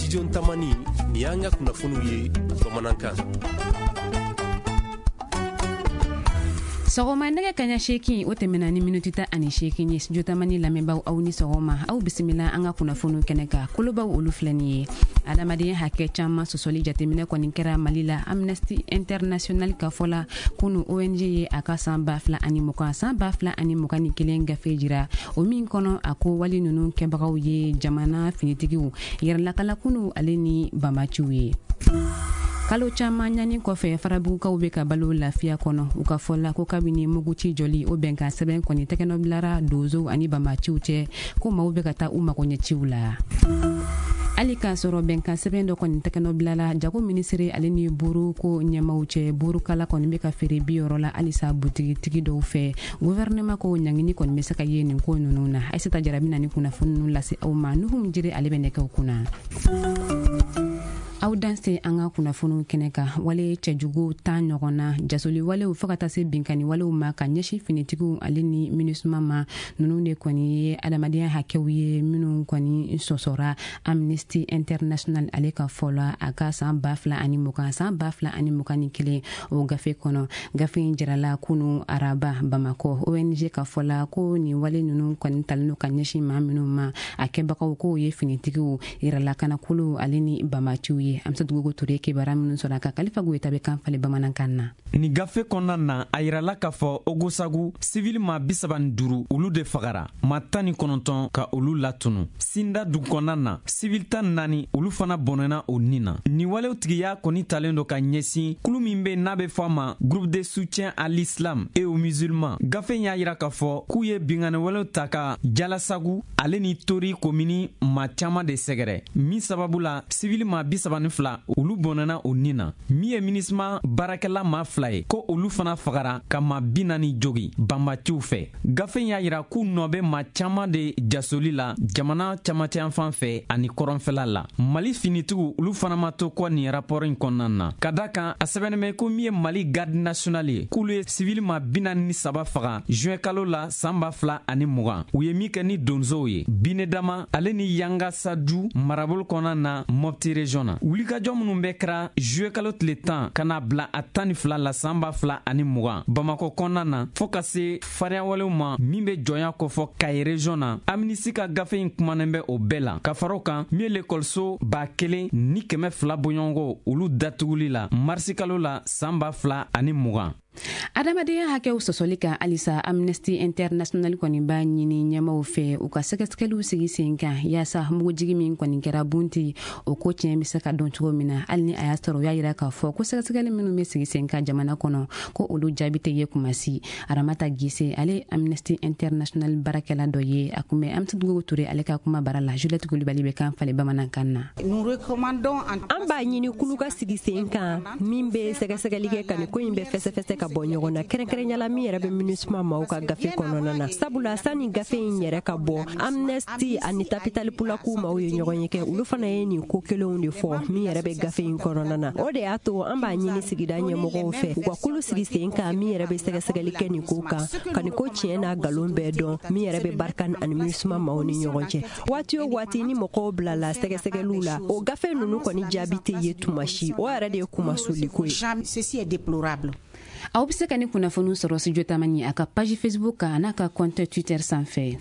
Studio Tamani, nin y'an ka kunnafoniw ye bamanankan. Sɔgɔma nɛgɛ kaɲa 8, o tɛmɛna ni miniti 18 ye. Studio Tamani lamɛnbaaw, aw ni sɔgɔma, aw bisimila an ka kunnafoniw kɛnɛ kan. Kolobaw, olu filɛ nin ye: adamadenya hakɛ caman sɔsɔli jateminɛ kɔni kɛra Mali la, Amnesty International ka fɔ la. Kunu, ONG ye a ka san 2020, san 2021 gafe jira, o min kɔnɔ, a ko wali ninnu kɛbagaw ye jamana finitigiw, yɛrɛlakalakuluw ale ni banbaciw ye. Kalo caman ɲani kɔfɛ, Farabugukaw bɛ ka balo lafiya kɔnɔ. U ka fɔ la ko kabini muguci jɔli, o bɛnkan sɛbɛn kɔni tɛgɛnɔ bilara donsow ani banbaciw cɛ, ko maaw bɛ ka taa u magoɲɛciw la. Hali k'a sɔrɔ bɛnkan sɛbɛn dɔ kɔni tɛgɛnɔ bilala jago minisiri ale ni buru ko ɲɛmaw cɛ, burukala kɔni bɛ ka feere 60 la halisa butigitigi dɔw fɛ. Guvɛrɛnɛma ko ɲangini kɔni bɛ se ka ye nin ko ninnu na. Ayisata Jara bɛna ni kunnafoni ninnu lase aw ma. Nuhum Jire, ale bɛ nɛgɛw kunna. Aw danse an ka kunnafoniw kɛnɛ kan. Wale cɛjugu 10 ɲɔgɔn na, jasoli walew fɔɔ ka taa se binkani walew ma ka ɲɛsin finitigiw ale ni MINUSMA ma, ninnu de kɔni ye adamadenya hakɛw ye minnu kɔni sɔsɔra, Amnesty International ale ka fɔ la, a ka san 2020, san 2021 o gafe kɔnɔ. Gafe in jirala kunu araba Bamakɔ. ONG ka fɔ la ko nin wale ninnu kɔni talen don ka ɲɛsin maa minnu ma, a kɛbagaw k'o ye finitigiw, yɛrɛlakanakuluw ale ni banbaciw ye. Amsa Dugugo Ture, kibaruya minnu sɔrɔ a ka Kalifa Goyita bɛ kan falen bamanankan na. Nin gafe kɔnɔna na, a yirala k'a fɔ Ogosagu, sivili ma 35, olu de fagara, ma 19 ka olu latunu. Sinda dugu kɔnɔna na, sivili 14, olu fana bɔnɛna o nin na. Nin walew tigiya kɔni talen don ka ɲɛsin kulu min be n'a be fɔ a ma Groupe de soutien à l'islam et aux musulmans. Gafe y'a yira k'a fɔ k'u ye binkanni walew ta ka Jalasagu ale ni Tori komini ma caaman de sɛgɛrɛ, min sababu la sivili ma 32, olu bɔnɛna o nin na. Min ye MINUSMA baarakɛla ma 2 ye, ko olu fana fagara ka ma 40 jogi banbaciw fɛ. Gafe y'a yira k'u nɔ bɛ ma caaman de jasoli la jamana camancɛyanfan fɛ ani kɔrɔnfɛla la. Mali finitigiw, olu fana ma to kɔ nin rapport in kɔnɔna na, ka da kan a sɛbɛnnen bɛ ko min ye Mali garde nationale ye, k'olu ye sivili ma 43 faga juin kalo la san 2020, u ye min kɛ ni donsow ye Binedama ale ni Yanga Sadu marabolo kɔnɔna na, Mopti région na. Wulikajɔ minnu bɛ kɛra juillet kalo tile 10 ka na bila a 12 la san 2020 Bamakɔ kɔnɔna na, fɔɔ ka se fariyawalew ma min bɛ jɔnya kofɔ Kayi région na, Amnistie ka gafe in kumanen bɛ o bɛɛ la. Ka fara o kan, min ye lekɔliso 1200 bɔɲɔgɔnko, olu datuguli la marisi kalo la san 2020. Adamadenya hakɛw sɔsɔli kan halisa, Amnesty International kɔni b'a ɲini ɲɛmaw fɛ u ka sɛgɛsɛgɛliw sigi sen kan yaasa mugujigi min kɔni kɛra Bunti, o ko tiɲɛ bɛ se ka dɔn cogo min na. Hali ni a y'a sɔrɔ u y'a yira k'a fɔ ko sɛgɛsɛgɛli minnu bɛ sigi sen kan jamana kɔnɔ, ko olu jaabi tɛ ye kumasi. Aramata Gise, ale Amnesty International baarakɛla dɔ ye, a kun bɛ Amsa Dugu Ture ale ka kuma bara la. Juliette Kulibali bɛ kan falen bamanankan na. An b'a ɲini kulu ka sigi sen kan min bɛ sɛgɛsɛgɛli kɛ ka nin ko in bɛɛ fɛsɛfɛsɛ ka bɔ ɲɔgɔn na, kɛrɛnkɛrɛnya min yɛrɛ bɛ MINUSMA maaw ka gafe kɔnɔna na, sabula sani gafe in yɛrɛ ka bɔ, Amnesty ani Tabital Pulaaku maaw ye ɲɔgɔn ye kɛ, olu fana ye nin ko kelenw de fɔ min yɛrɛ bɛ gafe in kɔnɔna na. O de y'a to an b'a ɲini sigida ɲɛmɔgɔw fɛ u ka kulu sigi sen kan min yɛrɛ bɛ sɛgɛsɛgɛli kɛ nin ko kan, ka nin ko tiɲɛ n'a nkalon bɛɛ dɔn min yɛrɛ bɛ Barkhane ani MINUSMA maaw ni ɲɔgɔn cɛ. Waati o waati ni mɔgɔw bilala sɛgɛsɛgɛliw la, o gafe ninnu kɔni jaabi tɛ ye tuma si. O yɛrɛ de ye kumasoliko ye. Aw bɛ se ka ni kunnafoniw sɔrɔ Studio Tamani a ka page Facebook kan, n'a ka compte Twitter sanfɛ.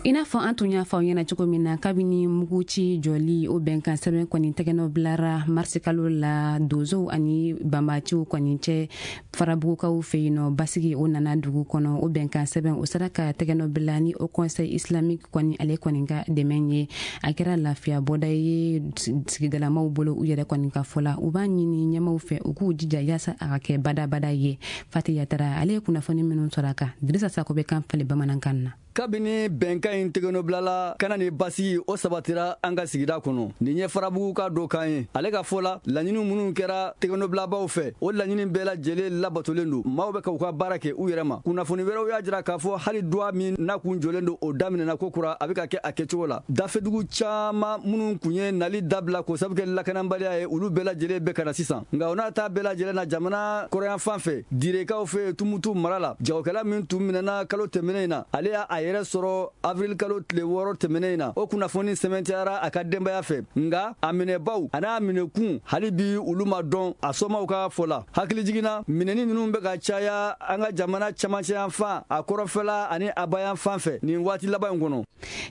I n'a fɔ an tun y'a fɔ aw ɲɛna cogo min na, kabini muguci jɔli, o bɛnkan sɛbɛn kɔni tɛgɛnɔ bilara marisikalo la donsow ani banbaciw kɔni cɛ Farabugukaw fɛ yen nɔ, basigi o nana dugu kɔnɔ. O bɛnkan sɛbɛn, o sera ka tɛgɛnɔ bila ni Haut Conseil islamique kɔni ale kɔni ka dɛmɛ ye. A kɛra lafiya bɔda ye sigidalamaw bolo. U yɛrɛ kɔni ka fɔ la, u b'a ɲini ɲɛmaw fɛ u k'u jija yaasa a ka kɛ badabada ye. Fati Yatara, ale ye kunnafoni minnu sɔrɔ a kan, Dirisa Sako bɛ kan falen bamanankan na. Kabini bɛnkan in tɛgɛnɔbilala ka na ni basigi o sabatira an ka sigida kɔnɔ, nin ye Farabugu ka dɔ kan ye. Ale ka fɔ la, laɲini minnu kɛra tɛgɛnɔbilabaw fɛ, o laɲini bɛɛ lajɛlen labatolen don. Maaw bɛ ka u ka baara kɛ u yɛrɛ ma. Kunnafoni wɛrɛw y'a jira k'a fɔ hali duwa min n'a kun jɔlen don, o daminɛna ko kura, a bɛ ka kɛ a kɛcogo la. Dafɛdugu caman minnu kun ye nali dabila k'o sabu kɛ lakanabaliya ye, olu bɛɛ lajɛlen bɛ ka na sisan. Nka o n'a ta bɛɛ lajɛlen na, jamana kɔrɔyanfan fɛ, Direkaw fɛ, Tumutu mara la, jagokɛla min tun minɛna kalo tɛmɛnen in na, ale y'a yɛrɛ sɔrɔ avril kalo tile 6 tɛmɛnen in na. O kunnafoni sɛmɛntiyara a ka denbaya fɛ, nka a minɛbaw an'a minɛkun hali bi olu ma dɔn a somaw ka fɔ la. Hakilijigin na, minɛni ninnu bɛ ka caya an ka jamana camancɛ yanfan, a kɔrɔnfɛla ani a bayan fan fɛ nin waati laban in kɔnɔ.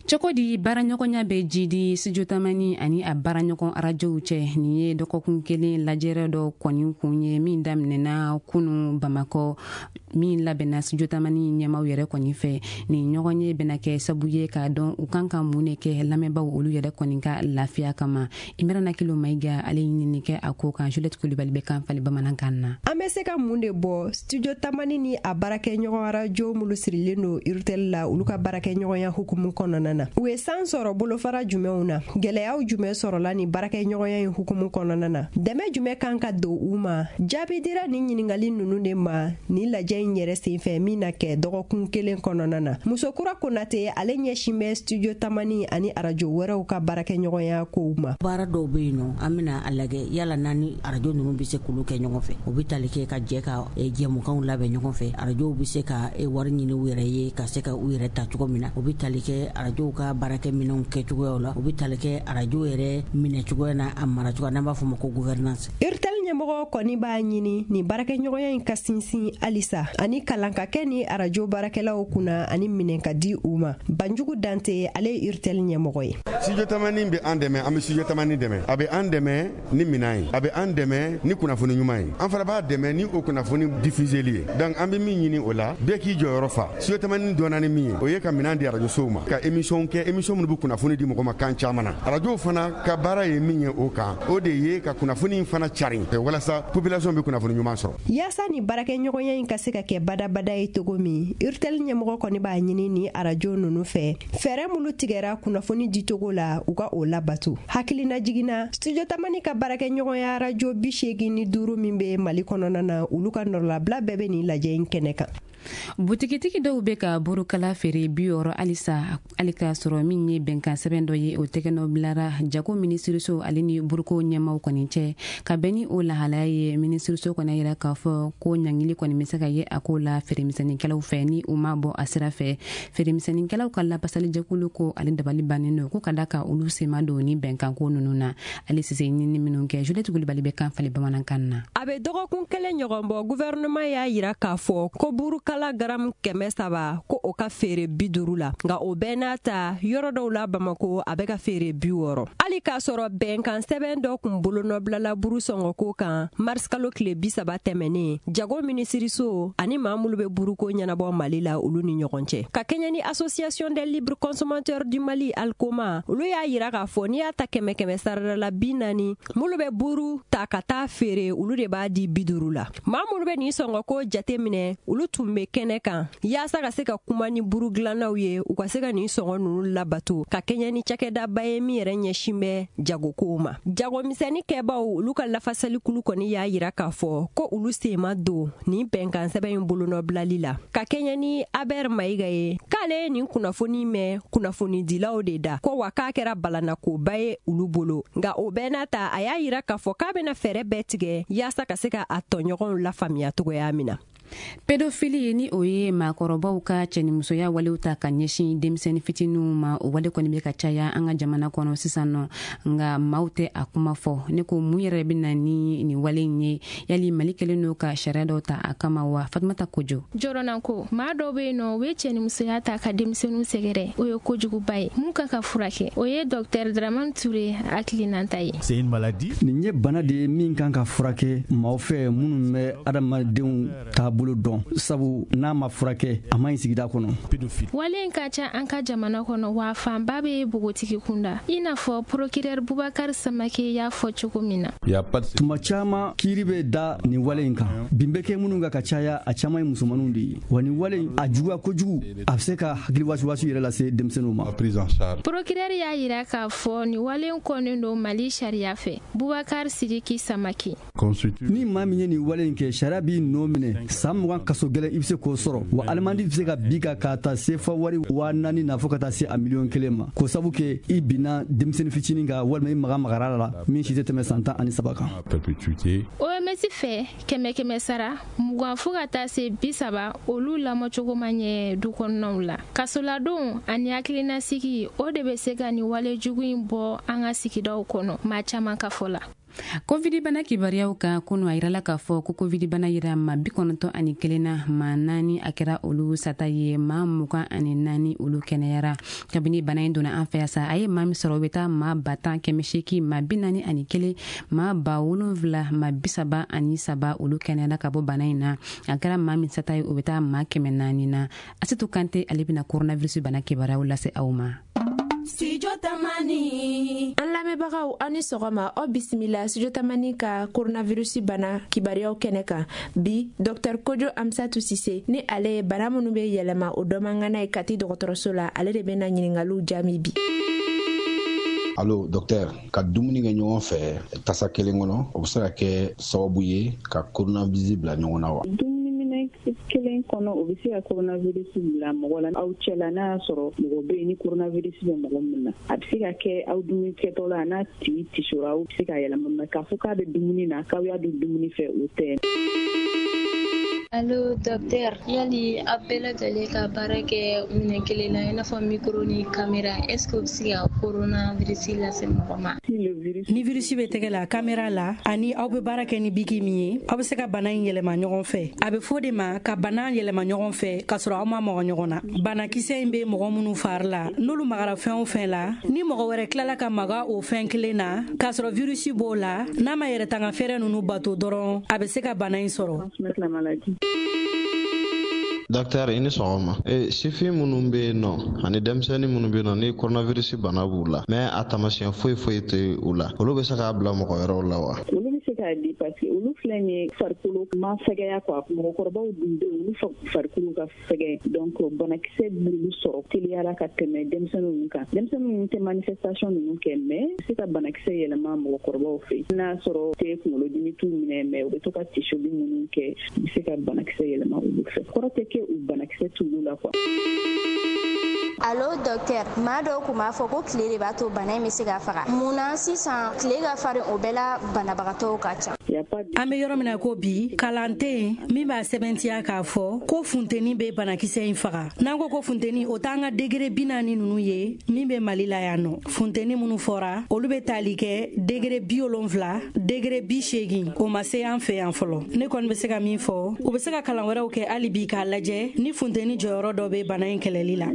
Cogo di baaraɲɔgɔnya bɛ jidi Studio Tamani ani a baaraɲɔgɔn arajow cɛ? Nin ye dɔgɔkun kelen lajɛrɛ dɔ kɔni kun ye min daminɛna kunu Bamakɔ, min labɛnna Studio Tamani ɲɛmaw yɛrɛ kɔni fɛ. Nin ɲɔgɔn ye bɛna kɛ sabu ye k'a dɔn u kan ka mun de kɛ lamɛnbaw olu yɛrɛ kɔni ka lafiya kama. Imirana Kilo Mayiga, ale ɲinini kɛ a ko kan. Juliette Kulibali bɛ kan fali bamanankan na. An bɛ se ka mun de bɔ Studio Tamani ni a baarakɛɲɔgɔn arajo minnu sirilen don Urtel la, olu ka baarakɛɲɔgɔnya hukumu kɔnɔna na? U ye san sɔrɔ bolofara jumɛnw na? Gɛlɛyaw jumɛn sɔrɔla ni baarakɛɲɔgɔnya in hukumu kɔnɔna na? Dɛmɛ jumɛn kan ka don u ma? Jaabi dira nin ɲininkali ninnu de ma nin lajɛ in yɛrɛ senfɛ min na kɛ dɔgɔkun kelen kɔnɔna na. Musokura Konate, ale ɲɛsin bɛ Studio Tamani ani arajo wɛrɛw ka baarakɛɲɔgɔnya kow ma. Baara dɔw bɛ yen nɔ, an bɛna a lajɛ yala naani arajo ninnu bɛ se k'olu kɛ ɲɔgɔn fɛ. O bɛ tali kɛ ka jɛ ka jɛmukanw labɛn ɲɔgɔn fɛ. Arajow bɛ se ka wari ɲini u yɛrɛ ye ka se ka u yɛrɛ ta cogo min na. O bɛ tali kɛ arajow ka baarakɛminɛnw kɛcogoyaw la. O bɛ tali kɛ arajo yɛrɛ minɛ cogoya n'a a mara cogoya, n'an b'a fɔ o ma ko gouvernance. Urtel ɲɛmɔgɔ kɔni b'a ɲini nin baarakɛɲɔgɔnya in ka sinsin halisa, ani kalan ka kɛ ni arajo baarakɛlaw kunna, ani minɛn ka di u ma. Banjugu Dante, ale ye Urtel ɲɛmɔgɔ ye. Studio Tamani bɛ an dɛmɛ, an bɛ Studio Tamani dɛmɛ. A bɛ an dɛmɛ ni minɛn ye, a bɛ an dɛmɛ ni kunnafoni ɲuman ye, an fana b'a dɛmɛ ni o kunnafoni diffuseli ye. Donc an bɛ min ɲini o la, bɛɛ k'i jɔyɔrɔ fa. Studio Tamani dɔnna ni min ye, o ye ka minɛn di arajosow ma, ka émission kɛ, émission minnu bɛ kunnafoni di mɔgɔ ma kan caman na. Arajow fana ka baara ye min ye o kan, o de ye ka kunnafoni fana cari walasa population bɛ kunnafoni ɲuman sɔrɔ. Yaasa ni baarakɛɲɔgɔnya in ka se ka kɛ badabada ye cogo min, Urtel ɲɛmɔgɔ kɔni b'a ɲini ni arajo ninnu fɛ, fɛɛrɛ minnu tigɛra kunnafoni dicogo la, u ka o labato. Hakilina jiginna, Studio Tamani ka baarakɛɲɔgɔnya arajo 85 min bɛ Mali kɔnɔna na, olu ka nɔrɔlabila bɛɛ bɛ nin lajɛ in kɛnɛ kan. Butigitigi dɔw bɛ ka burukala feere 60 halisa, hali k'a sɔrɔ min ye bɛnkan sɛbɛn dɔ ye, o tɛgɛnɔ bilara jago minisiriso ale ni buruko ɲɛmaw kɔni cɛ. Ka bɛn ni o lahalaya ye, minisiriso kɔni yira k'a fɔ ko ɲangili kɔni bɛ se ka ye a ko la feeremisɛnninkɛlaw fɛ ni u ma bɔ a sira fɛ. Feeremisɛnninkɛlaw ka lapasalijɛkulu ko ale dabali bannen don ko ka da ka olu sema don ni bɛnkanko ninnu na. Ale sise ɲini minnu kɛ, Juliette Kulibali bɛ kan fali bamanankan na. A bɛ dɔgɔkun kelen ɲɔgɔn bɔ, gouvernement y'a yira k'a fɔ ko burukala garamu 300, ko o ka feere 50 la. Nka o bɛɛ n'a ta, yɔrɔ dɔw la Bamako, a bɛ ka feere 60, hali k'a sɔrɔ bɛnkan sɛbɛn dɔ kun bolonɔbilala buru sɔngɔko kan mars kalo tile 30 tɛmɛnen, jago minisiriso ani maa minnu bɛ buruko ɲɛnabɔ Mali la, olu ni ɲɔgɔn cɛ. Ka kɛɲɛ ni Association des libres consommateurs du Mali, Alcoma, olu y'a yira k'a fɔ n'i y'a ta kɛmɛ kɛmɛ sarada la, 40 minnu bɛ buru ta ka taa feere, olu de b'a di 50 la. Maa minnu bɛ nin sɔngɔko jate minɛ, olu tun bɛ kɛnɛ kan yaasa ka se ka kuma ni buru dilannaw ye, u ka se ka nin sɔngɔ ninnu labato, ka kɛɲɛ ni cakɛdaba ye min yɛrɛ ɲɛsin bɛ jagokow ma. Jagomisɛnnin kɛbaw, olu ka lafasalikulu kɔni y'a yira k'a fɔ ko olu sen ma don nin bɛnkan sɛbɛn in bolonɔbilali la. Ka kɛɲɛ ni Aber Mayiga ye, k'ale ye nin kunnafoni mɛn kunnafonidilaw de da ko wa k'a kɛra balanakoba ye olu bolo. Nka o bɛɛ n'a ta, a y'a yira k'a fɔ k'a bɛna fɛɛrɛ bɛɛ tigɛ yaasa ka se ka a tɔɲɔgɔnw lafaamuya cogoya min na. Pédophilie, ni o ye maakɔrɔbaw ka cɛnimusoya walew ta ka ɲɛsin denmisɛnnin fitininw ma, o wale kɔni bɛ ka caya an ka jamana kɔnɔ sisan nɔ, nka maaw tɛ a kuma fɔ. Ne ko, mun yɛrɛ bɛ na ni nin wale in ye? Yali Mali kɛlen don ka sariya dɔw ta a kama wa? Fatumata Kojo. Jɔrɔna ko maa dɔw bɛ yen nɔ, u bɛ cɛnimusoya ta ka denmisɛnninw sɛgɛrɛ. O ye kojuguba ye mun kan ka furakɛ. O ye docteur Dramane Touré hakilinata ye. Nin ye bana de ye min kan ka furakɛ maaw fɛ minnu bɛ adamadenw taabolo dɔn, sabu n'a ma furakɛ, a ma ɲi sigida kɔnɔ. Wale in ka ca an ka jamana kɔnɔ, wa fanba bɛ npogotigi kunda, i n'a fɔ procureur Bubakari Samake y'a fɔ cogo min na. Tuma caman, kiiri bɛ da nin wale in kan. Bin bɛ kɛ minnu kan ka caya, a caman ye musomaninw de ye. Wa nin wale in a juguya kojugu, a bɛ se ka hakili wasiwasi yɛrɛ lase denmisɛnninw ma. Procureur y'a yira k'a fɔ nin wale in kɔnnen don Mali sariya fɛ. Bubakari Sidiki Samake. Ni maa min ye nin wale in kɛ, sariya b'i nɔ minɛ san San 20 kaso gɛlɛn, i bɛ se k'o sɔrɔ. Wa alimandi bɛ se ka bin kan k'a ta sefa wari 4000 na fo ka taa se a 1,1 miliyɔn ma, k'o sabu kɛ i binna denmisɛnnin fitinin kan walima i maga magara la min si tɛ tɛmɛ san 13 kan. OMS fɛ, kɛmɛ kɛmɛ sara, 20 fo ka taa se 30, olu lamɔcogo ma ɲɛ du kɔnɔnaw la. Kasoladon ani hakilinasigi, o de bɛ se ka nin wale jugu in bɔ an ka sigidaw kɔnɔ, maa caman ka fɔ la. Covid bana kibaruyaw kan, kunu a yirala k'a fɔ ko Covid bana yira ma 91 na, maa naani a kɛra olu sata ye, maa 24 olu kɛnɛyara. Kabini bana in donna an fɛ yan sa, a ye maa min sɔrɔ, o bɛ taa maa 10 841, maa 7, maa 33 olu kɛnɛyara ka bɔ bana in na. A kɛra maa min sata ye, o bɛ taa maa 400 na. Asitu Kante, ale bɛna coronavirus bana kibaruyaw lase aw ma. Studio Tamani. An lamɛnbagaw, aw ni sɔgɔma, aw bisimila Studio Tamani ka coronavirus bana kibaruyaw kɛnɛ kan. Bi, Dr Kojo Amsatu Sise ni ale ye bana minnu bɛ yɛlɛma o dɔnmangana ye Kati dɔgɔtɔrɔso la, ale de bɛna ɲiningaliw jaabi bi. Allo docteur, ka dumuni kɛ ɲɔgɔn fɛ tasa kelen kɔnɔ, o bɛ se ka kɛ sababu ye ka coronavirus bila ɲɔgɔn na wa? Minɛ kelen kɔnɔ, o bɛ se ka coronavirus bila mɔgɔ la aw cɛla. N'a y'a sɔrɔ mɔgɔ bɛ yen ni coronavirus bɛ mɔgɔ min na, a bɛ se ka kɛ aw dumuni kɛtɔ la, n'a tigi tisora, aw bɛ se ka yɛlɛma. Mais k'a fɔ k'a bɛ dumuni na, k'aw y'a dun dumuni fɛ, o tɛ. Allo docteur, yali aw bɛɛ lajɛlen ka baara kɛ minɛn kelen na, i n'a fɔ micro ni caméra, est ce que o bɛ se ka coronavirus lase mɔgɔ ma? Ni virus bɛ tɛgɛ la, caméra la, ani aw bɛ baara kɛ ni biki min ye, aw bɛ se ka bana in yɛlɛma ɲɔgɔn fɛ. A bɛ fɔ de ma ka bana yɛlɛma ɲɔgɔn fɛ k'a sɔrɔ aw ma maga ɲɔgɔn na. Banakisɛ in bɛ mɔgɔ minnu fari la, n'olu magara fɛn o fɛn la, ni mɔgɔ wɛrɛ tilala ka maga o fɛn kelen na k'a sɔrɔ virus b'o la, n'a ma yɛrɛ tanga fɛɛrɛ ninnu bato dɔrɔn, a bɛ se ka bana in sɔrɔ. Docteur, i ni sɔgɔma. E, sifin minnu bɛ yen nɔ ani denmisɛnnin minnu bɛ yen nɔ ni coronavirus bana b'u la, mais a taamasiyɛn foyi foyi tɛ u la, olu bɛ se k'a bila mɔgɔ wɛrɛw la wa? Olu bɛ se k'a di parce que olu filɛ nin ye, farikolo ma fɛgɛya quoi. Mɔgɔkɔrɔbaw dun bɛ yen, olu farikolo ka fɛgɛn, donc banakisɛ b'olu sɔrɔ teliyara ka tɛmɛ denmisɛnnin ninnu kan. Denmisɛnnin ninnu tɛ manifestation ninnu kɛ, mais se ka banakisɛ yɛlɛma mɔgɔkɔrɔbaw fɛ. N'a sɔrɔ tɛ kunkolodimi t'u minɛ, mais u bɛ to ka tisoli minnu kɛ, u bɛ se ka banakisɛ yɛlɛma olu fɛ. Kɔrɔ tɛ kɛ u banakisɛ t'olu la quoi. Allo docteur, maa dɔw kun b'a fɔ ko tile de b'a to bana in bɛ se ka faga. Mun na sisan tile ka farin, o bɛɛ la banabagatɔw ka ca? An bɛ yɔrɔ min na ko bi, kalan tɛ yen min b'a sɛbɛntiya k'a fɔ ko funteni bɛ banakisɛ in faga. N'an ko ko funteni, o t'an ka degré 40 ninnu ye min bɛ Mali la yan nɔ. Funteni minnu fɔra, olu bɛ tali kɛ degré 70, degré 80, o ma se an fɛ yan fɔlɔ. Ne kɔni bɛ se ka min fɔ, u bɛ se ka kalan wɛrɛw kɛ hali bi k'a lajɛ ni funteni jɔyɔrɔ dɔ bɛ bana in kɛlɛli la.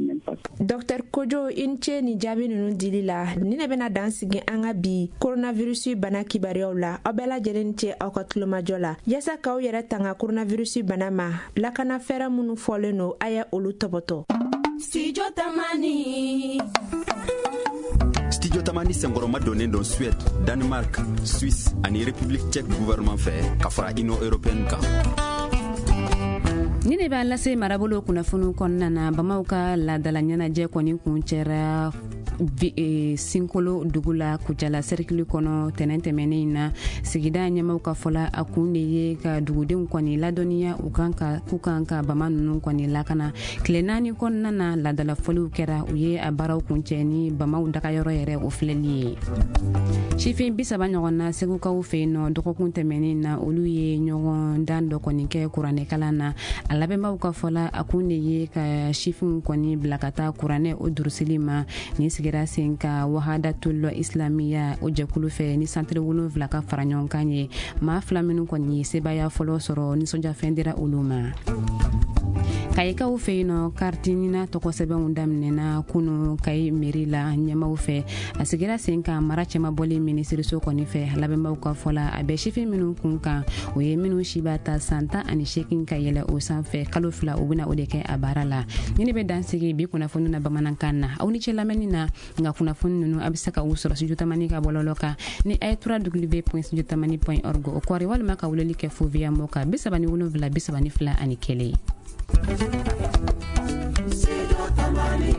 Dr Kojo, i ni ce ni jaabi ninnu dili la. Ni ne bɛna dan sigi an ka bi coronavirus bana kibaruyaw la. Aw bɛɛ lajɛlen ni ce aw ka tulomajɔ la. Yaasa k'aw yɛrɛ tanga coronavirus bana ma, lakana fɛɛrɛ minnu fɔlen no, a ye olu tɔbɔtɔ. Studio Tamani. Studio Tamani senkɔrɔma donnen don Suède, Danemark, Suisse ani République tchèque gouvernement fɛ, ka fara Union européenne kan. Ni ne b'a lase marabolo kunnafoniw kɔnɔna na, bamaw ka laadala ɲɛnajɛ kɔni kun cɛra Sinkolo dugu la, Kucala sɛrikili kɔnɔ, tɛnɛn tɛmɛnen na. Sigida ɲɛmaw ka fɔla, a kun de ye ka dugudenw kɔni ladɔnniya u kan ka k'u kan ka bama ninnu kɔni lakana. Tile 4 kɔnɔna na, laadalafɔliw kɛra, u ye a baaraw kuncɛ ni bamaw dagayɔrɔ yɛrɛ o filɛli ye. Sifin 30 ɲɔgɔn na Segukaw fɛ yen nɔ, dɔgɔkun tɛmɛnen na, olu ye ɲɔgɔn dan dɔ kɔni kɛ kuranɛkalan na. A labɛnbaw ka fɔla, a kun de ye ka sifinw kɔni bila ka taa kuranɛ o durusili ma. Nin sigira sen ka Wahadatul Islamiya o jɛkulu fɛ ni santiri 7 ka fara ɲɔgɔn kan ye. Maa fila minnu kɔni ye sebaya fɔlɔ sɔrɔ, nisɔndiyafɛn dira olu ma. Kayikaw fɛ yen nɔ, kariti nina tɔgɔsɛbɛnw daminɛna kunu Kayi mairie la ɲɛmaw fɛ. A sigira sen kan mara cɛmabɔli minisiriso kɔni fɛ. Labɛnbaw ka fɔ la, a bɛ sifin minnu kun kan, o ye minnu si b'a ta san 18 ka yɛlɛ o sanfɛ. Kalo 2, u bɛna o de kɛ a baara la. Ni ne bɛ dan sigi bi kunnafoni na bamanankan na. Aw ni ce lamɛnni na. Nka kunnafoni ninnu, a bɛ se ka u sɔrɔ Studio Tamani ka bɔlɔlɔ kan ni a ye www.studiotamani.org o kɔri, walima ka weleli kɛ fo via mɔ kan 37 32 1. Studio Tamani.